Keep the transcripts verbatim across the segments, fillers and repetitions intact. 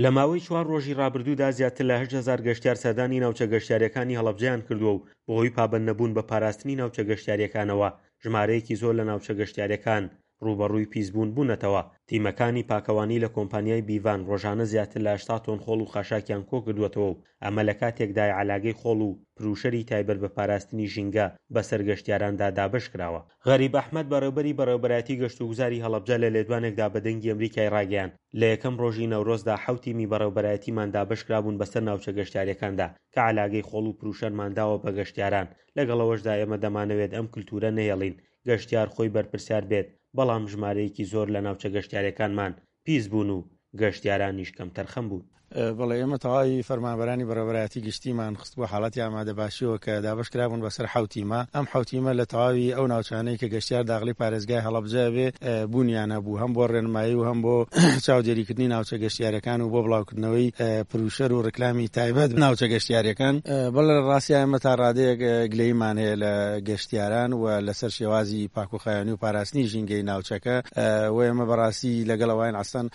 لە ماوەی چوار ڕۆژی ڕابردوودا زیاتر لە هەشت هەزار گەشتیار سەردانی ناوچە گەشتیارییەکانی هەڵەبجەیان کردووە و بەهۆی پابەندنەبوون بە پاراستنی ناوچە گەشتیارییەکانەوە ژمارەیەکی زۆر لە ناوچە گەشتیارییەکان ڕووبەڕووی پیسبوون بوونەتەوە. تیمەکانی پاکەوانی لە کۆمپانیای بیڤان ڕۆژانە زیاتر لە هەشتا تۆن خۆڵ و خاشاکیان کۆکردووەتەوە و ئەمە لە کاتێکدایە عەلاگەی خۆڵ و پروشەری تایبەت بە پاراستنی ژینگە بەسەر گەشتیاراندا دابەشکراوە. غەریب ئەحمەد بەڕێوبەری بەڕێوبەرایەتی گەشتوگوزاری هەڵەبجە لە لێدوانێکدا بە دەنگی ئەمریکای ڕاگەیاند، لە یەکەم ڕۆژی نەورۆزدا حەوت تیمی بەڕێوبەرایەتیمان دابەشکرابوون بەسەر ناوچە گەشتیاریەکاندا کە عەلاگەی خۆڵ و پروشەرمان داوە بە گەشتیاران، لەگەڵ ئەوەشدا ئێمە دەمانەوێت ئەم کلتورە نەهێڵین گەشتیار خۆی بەرپرسیار بێت، بەڵام ژمارەیەکی زۆر لە ناوچە گەشتیاریەکانمان پیس بوون و گەشتیارانیش کەمتەرخەم بوون. بەڵێ ئێمە تەواوی فەرمانبەرانی بەڕێوەبەرایەتی گشتیمان خستبووە حاڵەتی ئامادەباشیەوە کە دابەشکرابوون بەسەر حەوت تیمە، ئەم حەوت تیمە لە تەواوی ئەو ناوچانەی کە گەشتیار داخلی پارێزگای هەڵەبجە بێ بوونیان هەبوو هەم بۆ ڕێنمایی و هەم بۆ چاودێریکردنی ناوچە گەشتیارەکان و بۆ بڵاوکردنەوەی پروشەر و ڕیکلامی تایبەت ناوچە گەشتیارەکان. بەڵێ لە ڕاستیا ئێمە تا ڕادەیەک گلەییمان هەیە لە گەشتیاران و لەسەر شێوازی پاکوخاوێنی و پاراستنی ژینگەی ناوچەکە و ئێمە بەڕاستی لەگەڵ ئەوەین ئەسڵەن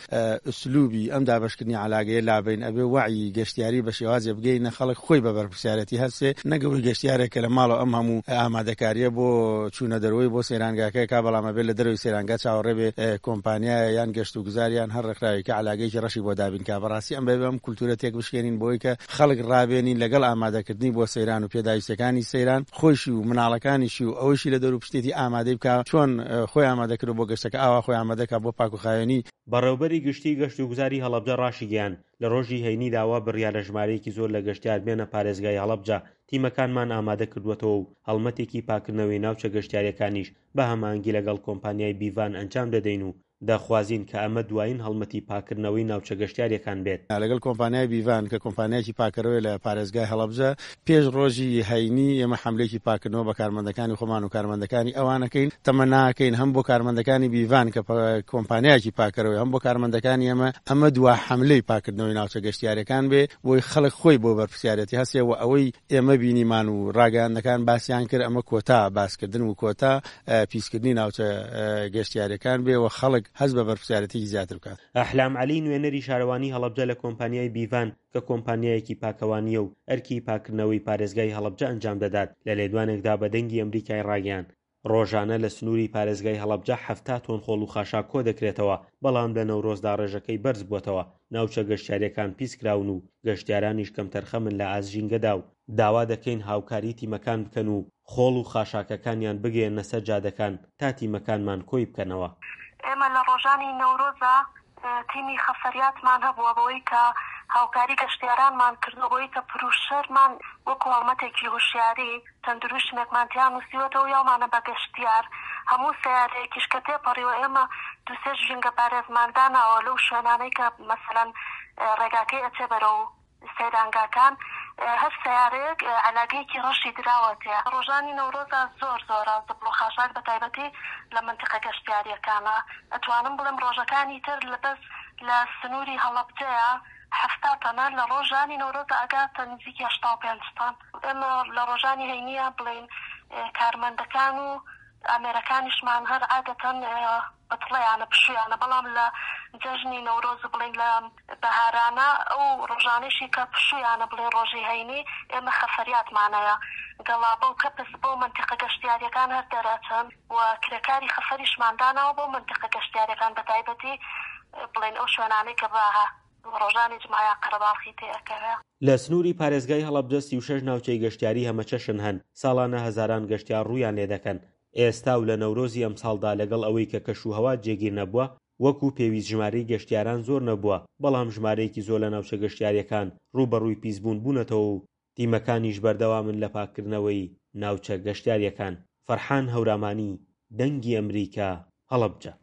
ئسلوبی ئەم دابەشکردنی عەلاگەیە لابەین، ئەبێ وەعی گەشتیاری بە شێوازێ بگەینە خەڵک خۆی بە بەرپرسیارەتی هەستێ، نەک ئەوەی گەشتیارێک کە لە ماڵەوە ئەم هەموو ئامادەکاریە بۆ چوونە دەرەوەی بۆ سەیرانگاکە کا، بەڵام ئەبێ لە دەرەوەی سەیرانگا چاوەڕێ بێ کۆمپانیایە یان گەشتوگوزار یان هەر ڕێکخراوێکی عەلاگەیەکی ڕەشی بۆ دابین کا. بەڕاستی ئەم بەبێ ئەم کولتورە تێک بشکێنین بۆی کە خەڵک ڕابێنین لەگەڵ ئامادەکردنی بۆ سەیران و پێداویستیەکانی سەیران خۆیشی و مناڵەکانیشی و ئەوەیشی لە دەوروپشتێتی ئامادەی بکا، چۆن خۆی ئامادە کردوە بۆ گەشتەکە ئاوا خۆی ئامادە کا بۆ پاکوخاوێنی. بەڕێوبەری گشتیی گەشتوگوزاری هەڵەبجە ڕاشیگەیاند، لە ڕۆژی هەینیدا وا بڕیارە ژمارەیەکی زۆر لە گەشتیار بێنە پارێزگای هەڵەبجە، تیمەکانمان ئامادە کردووەتەوە و هەڵمەتێکی پاکردنەوەی ناوچە گەشتیارییەکانیش بە هەماهەنگی لەگەڵ کۆمپانیای بیڤان ئەنجام دەدەین و دەخوازین کە ئەمە دوایین هەڵمەتی پاککردنەوەی ناوچە گەشتیارییەکان بێت. لەگەڵ کۆمپانیای بیڤان کە کۆمپانیایەکی پاککەرەوەیە لە پارێزگای هەڵەبجە، پێش ڕۆژی هەینی ئێمە حەملەیەکی پاککردنەوە بە کارمەندەکانی خۆمان و کارمەندەکانی ئەوان ئەکەین، تەمەناکەین هەم بۆ کارمەندەکانی بیڤان کە کۆمپانیایەکی پاککەرەوەیە هەم بۆ کارمەندەکانی ئێمە ئەمە دوا حەملەی پاککردنەوەی ناوچە گەشتیارییەکان بێ بۆی خەڵک خۆی بۆ بەرپرسیارێتی هەستێ و ئەوەی ئێمە بینیمان و ڕاگەیاندنەکان باسیان کرد ئەمە کۆتا باسکردن و کۆتا پیسکردنی ناوچە گەشتیاریەکان بێ و خەڵک هەست بە بەرپرسیارێتیی زیاتر بکات. ئەحلام عەلی نوێنەری شارەوانی هەڵەبجە لە کۆمپانیای بیڤان کە کۆمپانیایەکی پاکەوانییە و ئەرکی پاککردنەوەی پارێزگای هەڵەبجە ئەنجام دەدات لە لێدوانێکدا بە دەنگی ئەمریکای ڕاگەیاند ڕۆژانە لە سنووری پارێزگای هەڵەبجە حەفتا تۆن خۆڵ و خاشاک کۆدەکرێتەوە، بەڵام لە نەورۆزدا ڕێژەکەی بەرزبووەتەوە، ناوچە گەشتیارییەکان پیسکراون و گەشتیارانیش کەمتەرخەمن لە ئاست ژینگەدا و داوا دەکەین هاوکاری تیمەکان بکەن و خۆڵ و خاشاکەکانیان بگەیەننە سەر جادەکان تا تیمەکانمان کۆی بکەنەوە. ئێمە لە ڕۆژانی نەورۆزا تیمی خەفەریاتمان هەبووە بەوەی کە هاوکاری گەشتیارانمان کردووە بەوەی کە پروشەرمان وەکو هەڵمەتێکی هوشیاری چەند دروشمێکمان تیا نووسیوەتەوە و یاومانە بە گەشتیار هەموو سەیارەیەکیش کە تێپەڕیوە ئێمە دوو سێ ژینگەپارێزمان داناوە لەو شوێنانەی کە مەسەلەن ڕێگاکەی ئەچێ بەرەو سەیرانگاکان هەر سەیارەیەک عەلاگەیەکی ڕەشی دراوەتێ. ڕۆژانی نەورۆزا زۆر زۆرە زبڵ و خاشاک بە تایبەتی لە مەنتیقە گەشتیاریەکانا ئەتوانم بڵێم ڕۆژەکانی تر لە بەس لە سنوری هەڵەبجەیا حەفتا تەنە لە ڕۆژانی نەورۆزا ئەگاتە نزیکی هەشتا و پێنج تەن. ئێمە لە ڕۆژانی هەینییا بڵێین کارمەندەکان و ئامێرەکانیشمان هەر عادەتەن بەتڵەیانە پشوویانە بەڵام لە جەژنی نەورۆز و بڵێین لە بەهارانە ئەو ڕۆژانەیشی کە پشوویانە بڵێین ڕۆژی هەینی ئێمە خەفەریاتمان هەیە گەڵابە و کەپس بۆ مەنتیقە گەشتیاریەکان هەر دەرئەچن و کرێکاری خەفەریشمان داناوە بۆ مەنتیقە گەشتیاریەکان بەتایبەتی بڵێین ئەو شوێنانەی کە بە ڕۆژانی جومعە قەرەباڵخی تێ ئەکەوێ. لە سنووری پارێزگای هەڵەبجە سی و شەش ناوچەی گەشتیاری هەمەچەشن هەن، ساڵانە هەزاران گەشتیار ڕوویان لێدەکەن، ئێستا و لە نەورۆزی ئەمساڵدا لەگەڵ ئەوەی کە کەشوهەوا جێگیر نەبووە، وەکو پێویست ژمارەی گەشتیاران زۆر نەبووە، بەڵام ژمارەیەکی زۆر لە ناوچە گەشتیارییەکان ڕووبەڕووی پیسبوون بوونەتەوە و تیمەکانیش بەردەوامن لە پاککردنەوەی ناوچە گەشتیارییەکان. فەرحان هەورامانی، دەنگی ئەمریکا، هەڵەبجە.